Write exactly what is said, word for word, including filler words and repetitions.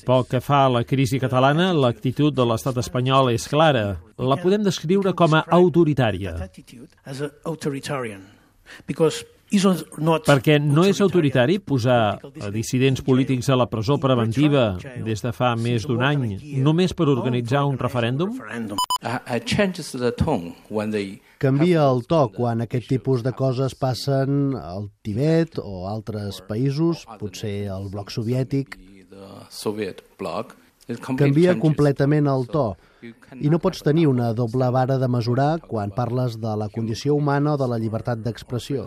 Pel que fa a la crisi catalana, l'actitud de l'estat espanyol és clara. La podem descriure com a autoritària. Perquè no és autoritari posar a dissidents polítics a la presó preventiva des de fa més d'un any, només per organitzar un referèndum? Canvia el to quan aquest tipus de coses passen al Tibet o altres països, potser al bloc soviètic. Canvia completament el to. I no pots tenir una doble vara de mesurar quan parles de la condició humana o de la llibertat d'expressió.